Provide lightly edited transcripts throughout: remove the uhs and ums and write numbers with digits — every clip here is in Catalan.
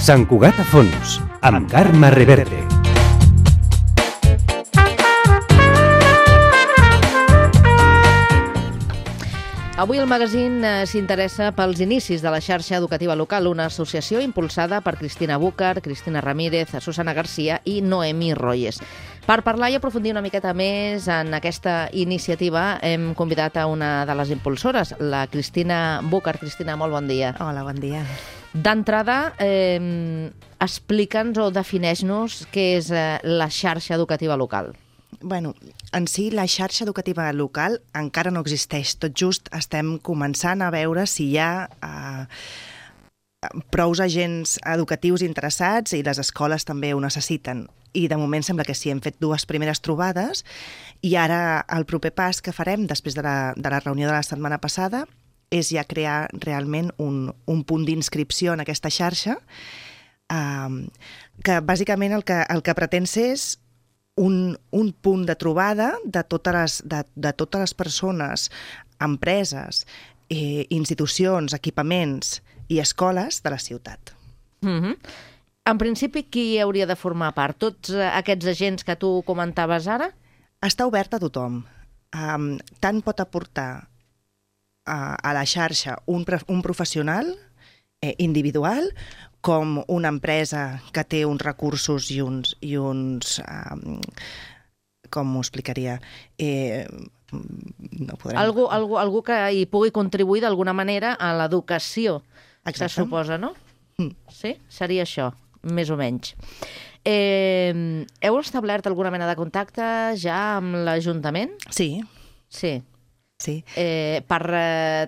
Sant Cugat a fons, amb Carme Reverte. Avui el magazín s'interessa pels inicis de la xarxa educativa local, una associació impulsada per Cristina Búcar, Cristina Ramírez, Susana Garcia i Noemí Royes. Per parlar i aprofundir una miqueta més en aquesta iniciativa hem convidat a una de les impulsores, la Cristina Búcar. Cristina, molt bon dia. Hola, bon dia. D'entrada, explica'ns o defineix-nos què és la xarxa educativa local. Bueno, en si la xarxa educativa local encara no existeix. Tot just estem començant a veure si hi ha prous agents educatius interessats i les escoles també ho necessiten. I de moment sembla que sí, hem fet 2 primeres trobades i ara el proper pas que farem després de la reunió de la setmana passada és ja crear realment un punt d'inscripció en aquesta xarxa que bàsicament el que pretén ser és un punt de trobada de totes les persones, empreses, institucions, equipaments i escoles de la ciutat. En principi, qui hauria de formar part? Tots aquests agents que tu comentaves ara? Està obert a tothom. Tant pot aportar a la xarxa un professional individual com una empresa que té uns recursos i uns com ho explicaria? No podrem... Algú que hi pugui contribuir d'alguna manera a l'educació, se suposa, no? Sí? Seria això, més o menys. Heu establert alguna mena de contacte ja amb l'Ajuntament? Sí. Sí. Sí. Per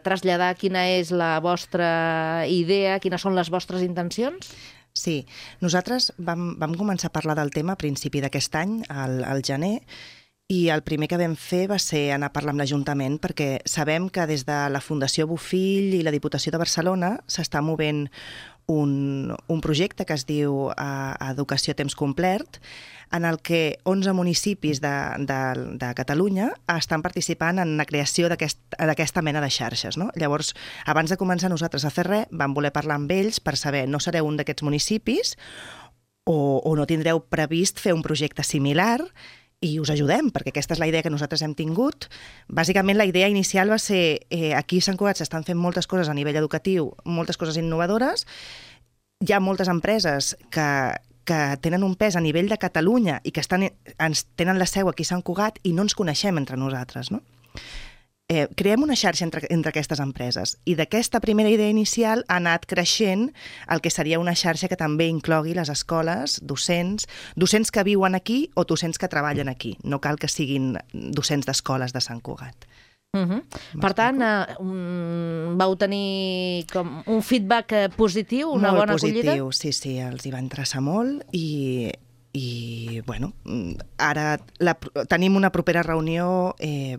traslladar quina és la vostra idea, quines són les vostres intencions? Sí, nosaltres vam començar a parlar del tema a principi d'aquest any, al gener, i el primer que vam fer va ser anar a parlar amb l'Ajuntament perquè sabem que des de la Fundació Bofill i la Diputació de Barcelona s'està movent un projecte que es diu Educació a temps complet, en el que 11 municipis de Catalunya estan participant en la creació d'aquesta mena de xarxes. No? Llavors, abans de començar nosaltres a fer res, vam voler parlar amb ells per saber no sereu un d'aquests municipis o no tindreu previst fer un projecte similar i us ajudem, perquè aquesta és la idea que nosaltres hem tingut. Bàsicament, la idea inicial va ser aquí a Sant Cugat s'estan fent moltes coses a nivell educatiu, moltes coses innovadores. Hi ha moltes empreses que tenen un pes a nivell de Catalunya i que tenen la seu aquí a Sant Cugat i no ens coneixem entre nosaltres, no? Creem una xarxa entre aquestes empreses i d'aquesta primera idea inicial ha anat creixent el que seria una xarxa que també inclogui les escoles, docents que viuen aquí o docents que treballen aquí. No cal que siguin docents d'escoles de Sant Cugat. Per tant, vau tenir com un feedback positiu, una bona acollida? Molt positiu, sí, els hi va interessar molt i bueno, ara tenim una propera reunió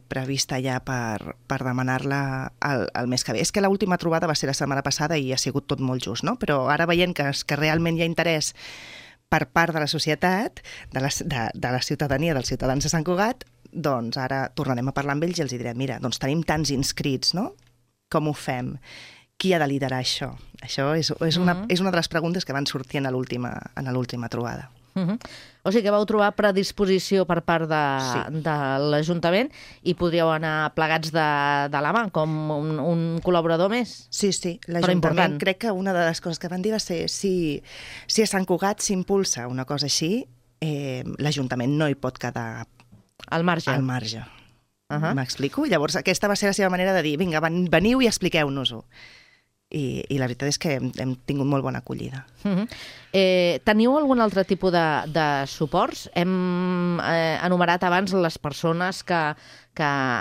prevista ja per demanar-la el mes que ve. És que l'última trobada va ser la setmana passada i ha sigut tot molt just, no? Però ara veient que realment hi ha interès per part de la societat, de la ciutadania, dels ciutadans de Sant Cugat, doncs ara tornarem a parlar amb ells i els direm, mira, doncs tenim tants inscrits, no? Com ho fem? Qui ha de liderar això? Això és una de les preguntes que van sortir en l'última trobada. O sigui que vau trobar predisposició per part de l'Ajuntament i podríeu anar plegats de la mà, com un col·laborador més. Sí, l'Ajuntament crec que una de les coses que van dir va ser si a Sant Cugat s'impulsa una cosa així, l'Ajuntament no hi pot quedar al marge. M'explico? Llavors aquesta va ser la seva manera de dir, vinga, veniu i expliqueu-nos-ho. I la veritat és que hem tingut molt bona acollida. Teniu algun altre tipus de suports? Hem enumerat abans les persones que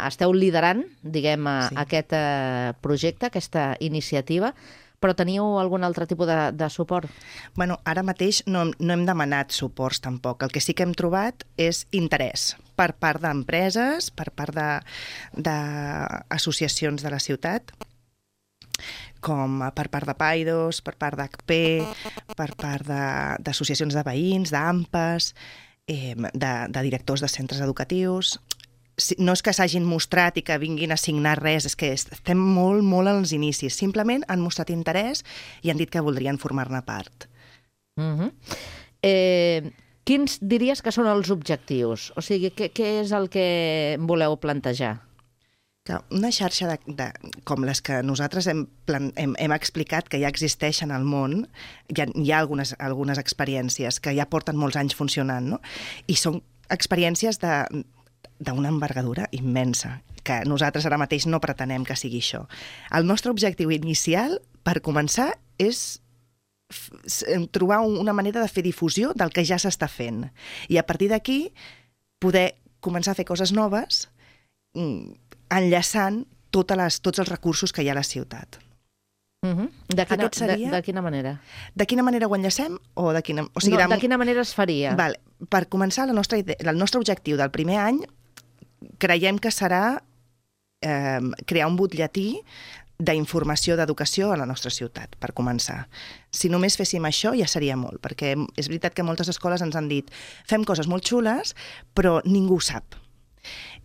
esteu liderant, diguem, aquest projecte, aquesta iniciativa, però teniu algun altre tipus de suport? Bueno, ara mateix no hem demanat suports tampoc. El que sí que hem trobat és interès per part d'empreses, per part d'associacions de la ciutat, com per part de Paidos, per part d'HP, per part d'associacions de veïns, d'AMPAs, de directors de centres educatius. No és que s'hagin mostrat i que vinguin a signar res, és que estem molt als inicis. Simplement han mostrat interès i han dit que voldrien formar-ne part. Quins diries que són els objectius? O sigui, què és el que voleu plantejar? Una xarxa com les que nosaltres hem explicat que ja existeixen al món, hi ha algunes experiències que ja porten molts anys funcionant, no? I són experiències d'una envergadura immensa, que nosaltres ara mateix no pretenem que sigui això. El nostre objectiu inicial, per començar, és trobar una manera de fer difusió del que ja s'està fent. I a partir d'aquí poder començar a fer coses noves enllaçant tots els recursos que hi ha a la ciutat. De quina manera? De quina manera ho enllacem? De quina manera es faria? Per començar, el nostre objectiu del primer any creiem que serà crear un butlletí d'informació d'educació a la nostra ciutat, per començar. Si només féssim això ja seria molt, perquè és veritat que moltes escoles ens han dit fem coses molt xules, però ningú ho sap.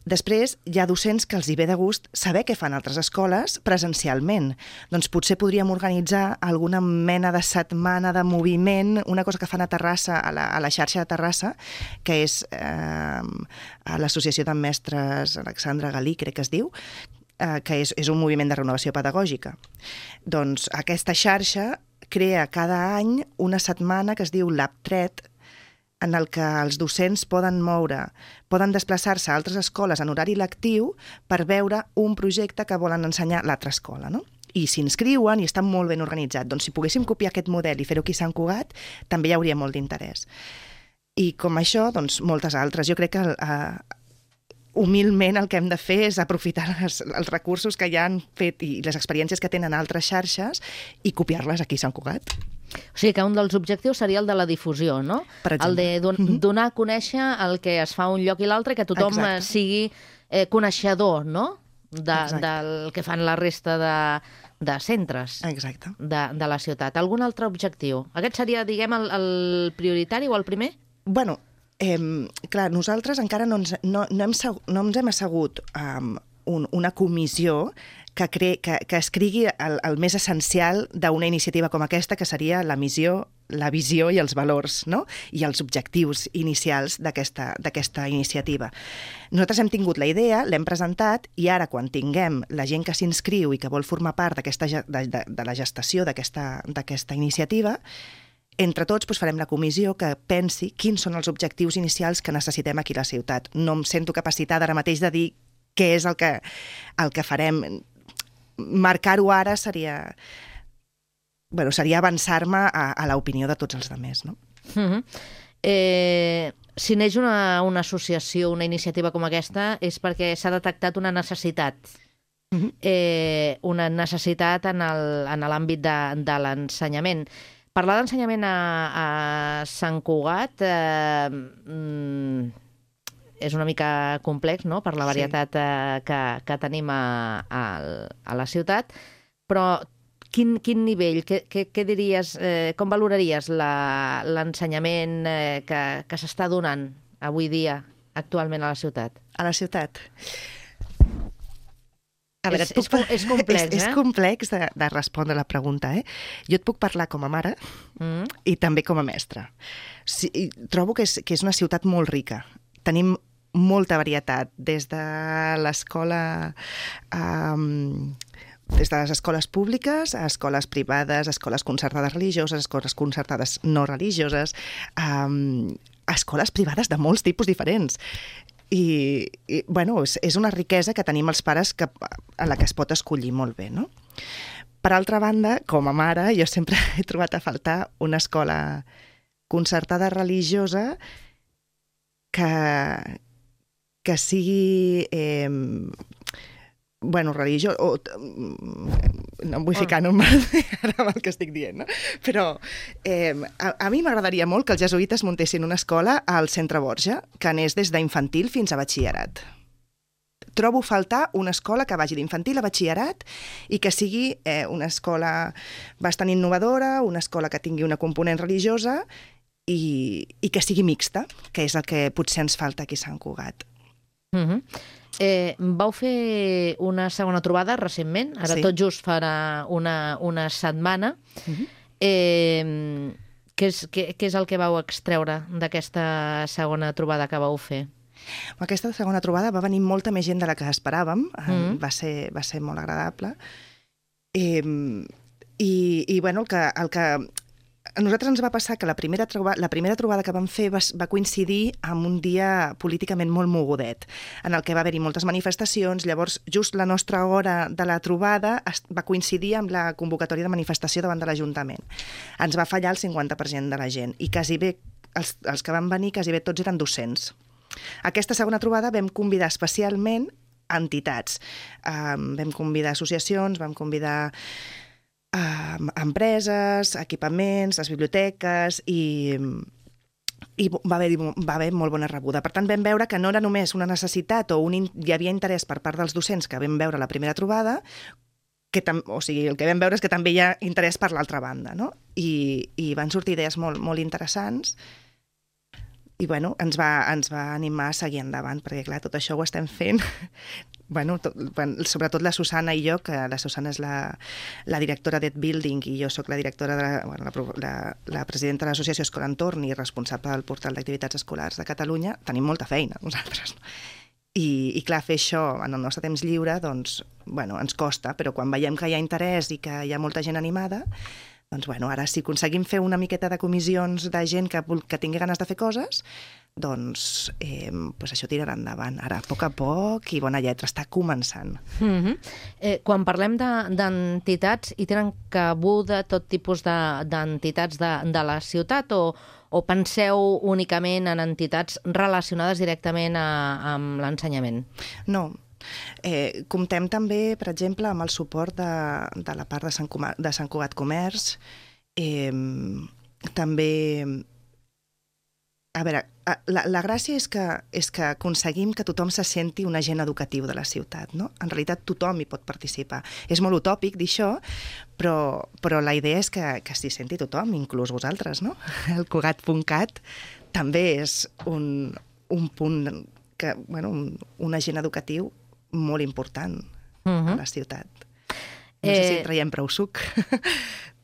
Després, hi ha docents que els hi ve de gust saber què fan altres escoles presencialment. Doncs potser podríem organitzar alguna mena de setmana de moviment, una cosa que fan a Terrassa, a la xarxa de Terrassa, que és a l'Associació de Mestres Alexandre Galí, crec que es diu, que és un moviment de renovació pedagògica. Doncs aquesta xarxa crea cada any una setmana que es diu LabTret, en el que els docents poden desplaçar-se a altres escoles en horari lectiu per veure un projecte que volen ensenyar a l'altra escola, no? I s'inscriuen i estan molt ben organitzats. Doncs si poguéssim copiar aquest model i fer-ho aquí a Sant Cugat, també hi hauria molt d'interès. I com això, doncs moltes altres. Jo crec que humilment el que hem de fer és aprofitar els recursos que ja han fet i les experiències que tenen altres xarxes i copiar-les aquí a Sant Cugat. O sigui que un dels objectius seria el de la difusió, no? El de donar a conèixer el que es fa un lloc i l'altre, que tothom sigui coneixedor, no? Del que fan la resta de centres de la ciutat. Algun altre objectiu? Aquest seria, diguem, el prioritari o el primer? Bueno, clar, nosaltres encara no ens hem assegut una comissió que escrigui el més essencial d'una iniciativa com aquesta, que seria la missió, la visió i els valors, no? I els objectius inicials d'aquesta iniciativa. Nosaltres hem tingut la idea, l'hem presentat, i ara, quan tinguem la gent que s'inscriu i que vol formar part de la gestació d'aquesta iniciativa, entre tots farem la comissió que pensi quins són els objectius inicials que necessitem aquí a la ciutat. No em sento capacitada ara mateix de dir què és el que farem. Marcar-ho ara seria avançar-me a l'opinió de tots els altres, no? Si neix una associació, una iniciativa com aquesta, és perquè s'ha detectat una necessitat. Una necessitat en l'àmbit de l'ensenyament. Parlar d'ensenyament a Sant Cugat és una mica complex, no?, per la varietat que tenim a la ciutat, però quin nivell, què diries, com valoraries l'ensenyment que s'està donant avui dia, actualment a la ciutat? A la ciutat? A veure, és complex, És complex de respondre la pregunta, eh? Jo et puc parlar com a mare i també com a mestra. Trobo que és una ciutat molt rica. Tenim molta varietat, des de l'escola... des de les escoles públiques a escoles privades, escoles concertades religioses, escoles concertades no religioses, escoles privades de molts tipus diferents. I bueno, és una riquesa que tenim els pares a la que es pot escollir molt bé, no? Per altra banda, com a mare, jo sempre he trobat a faltar una escola concertada religiosa que sigui religiós, no em vull ficar en un mal ara amb el que estic dient, no? Però a mi m'agradaria molt que els jesuïtes muntessin una escola al Centre Borja, que anés des d'infantil fins a batxillerat. Trobo faltar una escola que vagi d'infantil a batxillerat i que sigui una escola bastant innovadora, una escola que tingui una component religiosa i que sigui mixta, que és el que potser ens falta aquí a Sant Cugat. Vau fer una segona trobada recentment, ara tot just farà una setmana. Què és el que vau extreure d'aquesta segona trobada que vau fer? Aquesta segona trobada va venir molta més gent de la que esperàvem, va ser molt agradable. I bueno, el que a nosaltres ens va passar que la primera trobada que vam fer va coincidir amb un dia políticament molt mogudet, en el que va haver-hi moltes manifestacions. Llavors, just la nostra hora de la trobada va coincidir amb la convocatòria de manifestació davant de l'Ajuntament. Ens va fallar el 50% de la gent i quasi bé, els que van venir, quasi bé tots eren docents. Aquesta segona trobada vam convidar especialment entitats. Vam convidar associacions, vam convidar empreses, equipaments, les biblioteques i va haver molt bona rebuda. Per tant, vam veure que no era només una necessitat o hi havia interès per part dels docents que vam veure a la primera trobada, o sigui, el que vam veure és que també hi ha interès per l'altra banda, no? I van sortir idees molt, molt interessants. I bueno, ens va animar a seguir endavant, perquè clar, tot això ho estem fent. Sobretot la Susana i jo, que la Susana és la directora d'Ed Building i jo sóc la directora la presidenta de l'associació Escola Entorn i responsable del portal d'activitats escolars de Catalunya, tenim molta feina nosaltres. I clar, fer això en el nostre temps lliure, doncs, bueno, ens costa, però quan veiem que hi ha interès i que hi ha molta gent animada, doncs, bueno, ara si aconseguim fer una miqueta de comissions de gent que tingui ganes de fer coses, doncs això tirarà endavant. Ara, a poc i bona lletra, està començant. Quan parlem d'entitats, hi tenen cabuda tot tipus d'entitats de la ciutat o penseu únicament en entitats relacionades directament amb l'ensenyament? No. Comptem també, per exemple, amb el suport de la part de Sant Cugat Comerç. També... A veure, la gràcia és que aconseguim que tothom se senti un agent educatiu de la ciutat, no? En realitat tothom hi pot participar. És molt utòpic dir això, però la idea és que s'hi senti tothom, inclús vosaltres, no? El Cugat.cat també és un punt un agent educatiu molt important a la ciutat. No sé si traiem prou suc,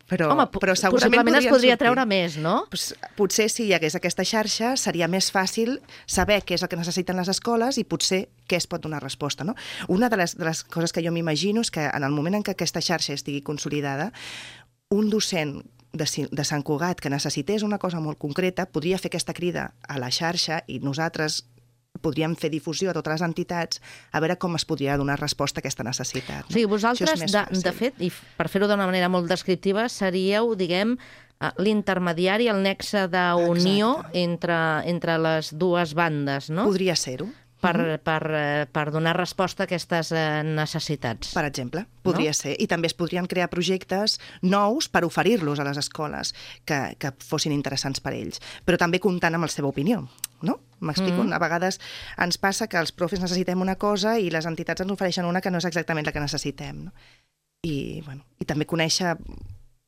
però segurament es podria treure més, no? Potser si hi hagués aquesta xarxa seria més fàcil saber què és el que necessiten les escoles i potser què es pot donar resposta, no? Una de les coses que jo m'imagino és que en el moment en què aquesta xarxa estigui consolidada, un docent de Sant Cugat que necessités una cosa molt concreta podria fer aquesta crida a la xarxa i nosaltres podríem fer difusió a totes les entitats a veure com es podria donar resposta a aquesta necessitat. No? O sigui, vosaltres, de fet, i per fer-ho d'una manera molt descriptiva, seríeu, diguem, l'intermediari, el nexe d'unió entre les dues bandes, no? Podria ser-ho. Per donar resposta a aquestes necessitats. Per exemple, podria ser. I també es podrien crear projectes nous per oferir-los a les escoles que fossin interessants per ells, però també comptant amb la seva opinió, no? M'explico? A vegades ens passa que els profes necessitem una cosa i les entitats ens ofereixen una que no és exactament la que necessitem, no? I també conèixer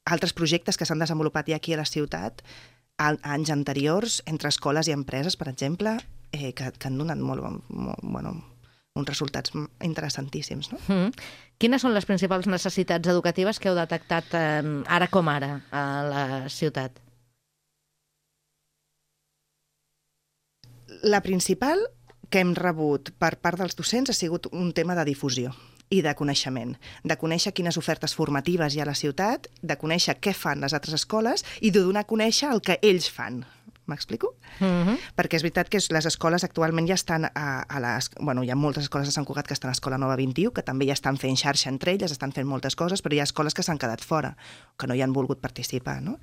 altres projectes que s'han desenvolupat ja aquí a la ciutat anys anteriors entre escoles i empreses, per exemple, que han donat uns resultats interessantíssims. No? Quines són les principals necessitats educatives que heu detectat ara com ara a la ciutat? La principal que hem rebut per part dels docents ha sigut un tema de difusió i de coneixement, de conèixer quines ofertes formatives hi ha a la ciutat, de conèixer què fan les altres escoles i de donar a conèixer el que ells fan. M'explico? Perquè és veritat que les escoles actualment ja estan hi ha moltes escoles de Sant Cugat que estan a Escola Nova 21, que també ja estan fent xarxa entre elles, estan fent moltes coses, però hi ha escoles que s'han quedat fora, que no hi han volgut participar, no?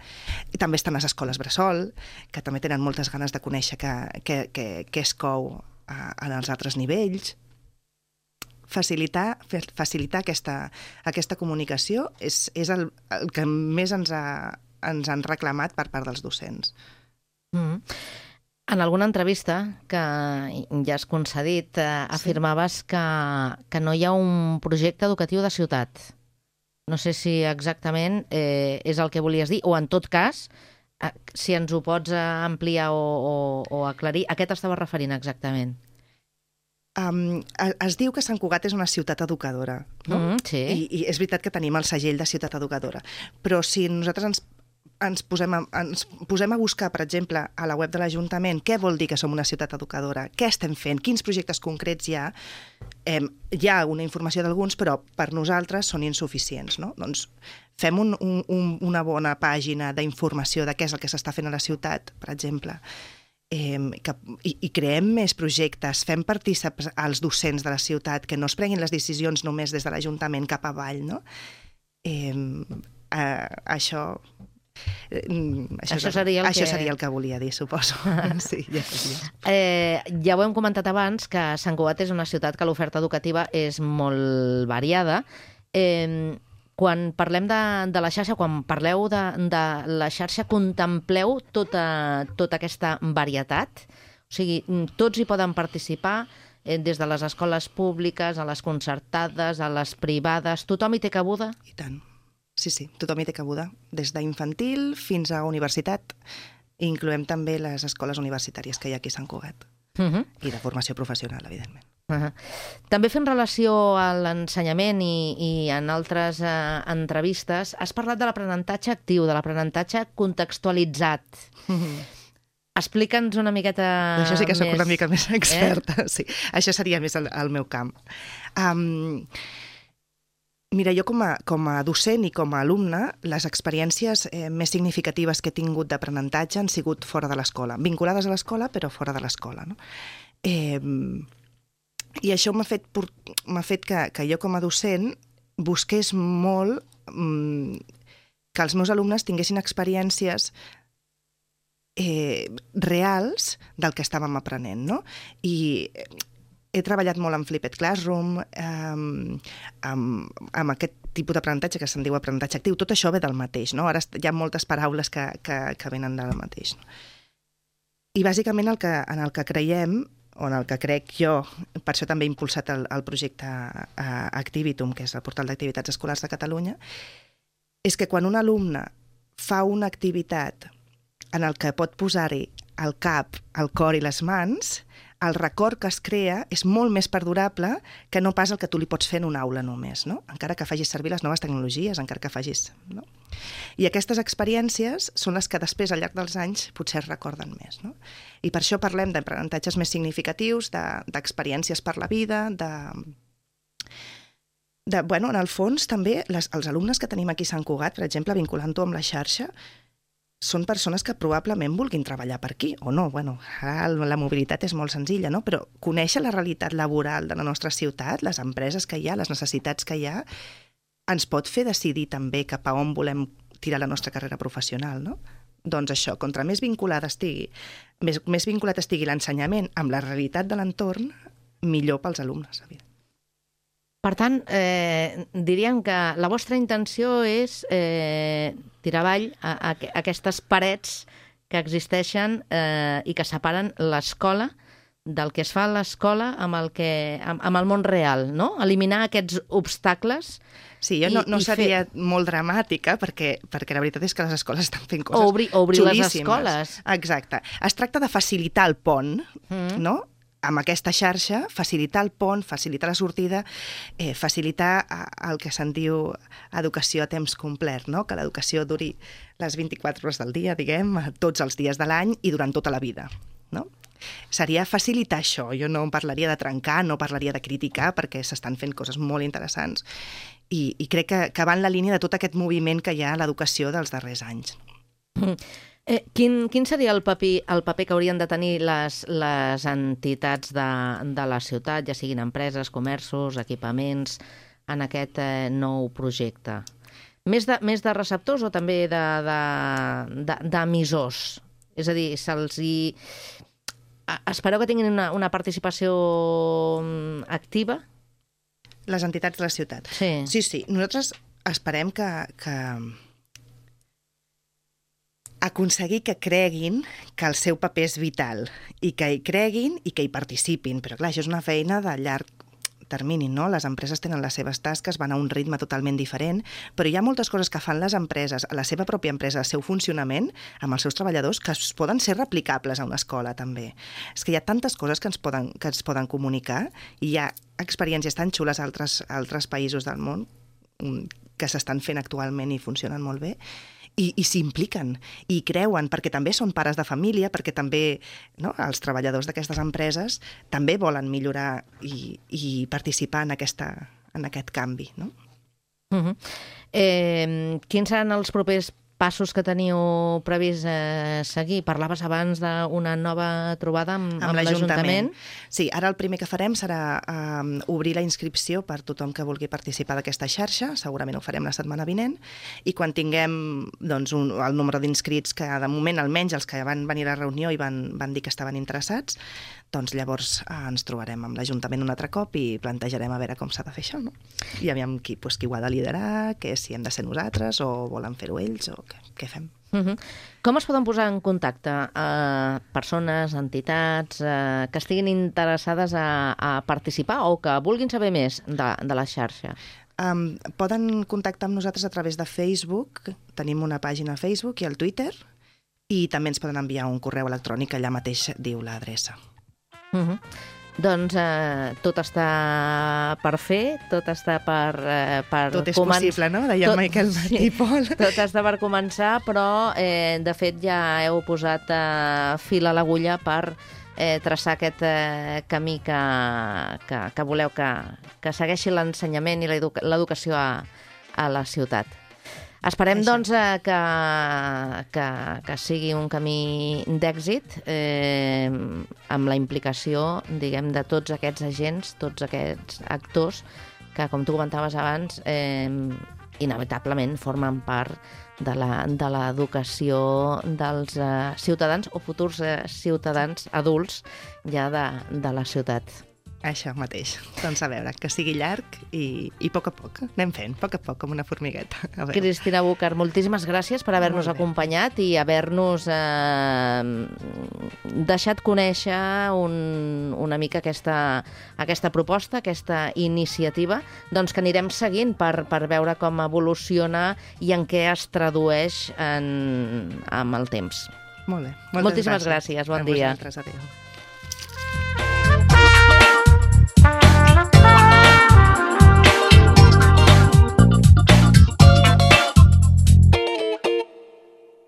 I també estan les escoles bressol, que també tenen moltes ganes de conèixer què es cou en els altres nivells. Facilitar aquesta comunicació és el que més ens han reclamat per part dels docents. En alguna entrevista que ja has concedit, afirmaves que no hi ha un projecte educatiu de ciutat. No sé si exactament és el que volies dir, o en tot cas, si ens ho pots ampliar o aclarir, a què t'estaves referint exactament? Es diu que Sant Cugat és una ciutat educadora, no? Sí. I és veritat que tenim el segell de ciutat educadora, però si nosaltres ens posem a buscar, per exemple, a la web de l'Ajuntament què vol dir que som una ciutat educadora, què estem fent, quins projectes concrets hi ha, hi ha una informació d'alguns, però per nosaltres són insuficients, no? Doncs fem una bona pàgina d'informació de què és el que s'està fent a la ciutat, per exemple, i creem més projectes, fem partícips als docents de la ciutat, que no es prenguin les decisions només des de l'Ajuntament cap avall, no? Això seria el que volia dir, suposo. Sí, ja ho hem comentat abans, que Sant Cugat és una ciutat que l'oferta educativa és molt variada. Quan parlem de la xarxa, quan parleu de la xarxa, contempleu tota aquesta varietat? O sigui, tots hi poden participar, des de les escoles públiques, a les concertades, a les privades, tothom hi té cabuda? I tant. Sí, tothom hi té cabuda. Des d'infantil fins a universitat. Incloem també les escoles universitàries que hi ha aquí a Sant Cugat. I de formació professional, evidentment. També fent relació a l'ensenyament i en altres entrevistes, has parlat de l'aprenentatge actiu, de l'aprenentatge contextualitzat. Explica'ns una miqueta més... Això sí que sóc una mica més experta. Sí. Això seria més el meu camp. Mira, jo com a docent i com a alumne, les experiències més significatives que he tingut d'aprenentatge han sigut fora de l'escola, vinculades a l'escola, però fora de l'escola, no? I això m'ha fet que jo com a docent busqués molt que els meus alumnes tinguessin experiències reals del que estàvem aprenent, no? I he treballat molt amb Flipped Classroom, amb aquest tipus d'aprenentatge que se'n diu aprenentatge actiu. Tot això ve del mateix, no? Ara hi ha moltes paraules que venen del mateix. No? I bàsicament en el que creiem, o en el que crec jo, per això també he impulsat el projecte Activitum, que és el portal d'activitats escolars de Catalunya, és que quan un alumne fa una activitat en el que pot posar-hi el cap, el cor i les mans, el record que es crea és molt més perdurable que no pas el que tu li pots fer en una aula només, no? Encara que facis servir les noves tecnologies, encara que facis... No? I aquestes experiències són les que després, al llarg dels anys, potser es recorden més, no? I per això parlem d'aprenentatges més significatius, d'experiències per la vida, bueno, en el fons, també, els alumnes que tenim aquí a Sant Cugat, per exemple, vinculant-ho amb la xarxa, són persones que probablement vulguin treballar per aquí, o no. Bueno, la mobilitat és molt senzilla, no? Però conèixer la realitat laboral de la nostra ciutat, les empreses que hi ha, les necessitats que hi ha, ens pot fer decidir també cap a on volem tirar la nostra carrera professional, no? Doncs això, contra més vinculat estigui l'ensenyament amb la realitat de l'entorn, millor pels alumnes, evidentment. Per tant, diríem que la vostra intenció és tirar avall aquestes parets que existeixen i que separen l'escola del que es fa a l'escola amb el món real, no? Eliminar aquests obstacles. Sí, jo no seria molt dramàtica, perquè la veritat és que les escoles estan fent coses obrir xulíssimes. Les escoles. Exacte. Es tracta de facilitar el pont, no?, amb aquesta xarxa, facilitar el pont, facilitar la sortida, facilitar el que se'n diu educació a temps complet, no? Que l'educació duri les 24 hores del dia, diguem, tots els dies de l'any i durant tota la vida, no? Seria facilitar això. Jo no parlaria de trencar, no parlaria de criticar, perquè s'estan fent coses molt interessants i crec que va en la línia de tot aquest moviment que hi ha a l'educació dels darrers anys. Quin seria el paper que haurien de tenir les entitats de la ciutat, ja siguin empreses, comerços, equipaments, en aquest nou projecte? Més de receptors o també d'emissors? És a dir, espereu que tinguin una participació activa? Les entitats de la ciutat. Sí. Sí. Nosaltres esperem que aconseguir que creguin que el seu paper és vital i que hi creguin i que hi participin. Però clar, això és una feina de llarg termini, no? Les empreses tenen les seves tasques, van a un ritme totalment diferent, però hi ha moltes coses que fan les empreses, a la seva pròpia empresa, al seu funcionament, amb els seus treballadors, que poden ser replicables a una escola, també. És que hi ha tantes coses que ens poden comunicar i hi ha experiències tan xules a altres països del món que s'estan fent actualment i funcionen molt bé. i s'impliquen i creuen, perquè també són pares de família, perquè també els treballadors d'aquestes empreses també volen millorar i participar en aquest canvi. No? Quins seran els propers passos que teniu previst seguir? Parlaves abans d'una nova trobada amb l'Ajuntament. Sí, ara el primer que farem serà obrir la inscripció per tothom que vulgui participar d'aquesta xarxa, segurament ho farem la setmana vinent, i quan tinguem el nombre d'inscrits, que de moment almenys els que van venir a la reunió i van dir que estaven interessats, doncs llavors ens trobarem amb l'Ajuntament un altre cop i plantejarem a veure com s'ha de fer això, no? I aviam qui ho ha de liderar, si hem de ser nosaltres o volen fer-ho ells o què fem. Com es poden posar en contacte persones, entitats que estiguin interessades a participar o que vulguin saber més de la xarxa? Poden contactar amb nosaltres a través de Facebook, tenim una pàgina a Facebook i al Twitter, i també ens poden enviar un correu electrònic, allà mateix diu l'adreça. Doncs tot està per fer, tot està per tot és possible, no? Deia Michael Martí Pol. Tot està per començar, però de fet ja heu posat fil a l'agulla per traçar aquest camí que voleu que segueixi l'ensenyament i l'educació a la ciutat. Esperem, doncs, que sigui un camí d'èxit amb la implicació, diguem, de tots aquests agents, tots aquests actors que, com tu comentaves abans, inevitablement formen part de l'educació dels ciutadans o futurs ciutadans adults ja de la ciutat. Això mateix. Doncs a veure, que sigui llarg i a poc, anem fent, a poc, com una formigueta. Cristina Búcar, moltíssimes gràcies per haver-nos acompanyat i haver-nos deixat conèixer una mica aquesta proposta, aquesta iniciativa, doncs que anirem seguint per veure com evoluciona i en què es tradueix amb el temps. Molt bé. Moltíssimes gràcies. Bon dia. A vosaltres, adéu.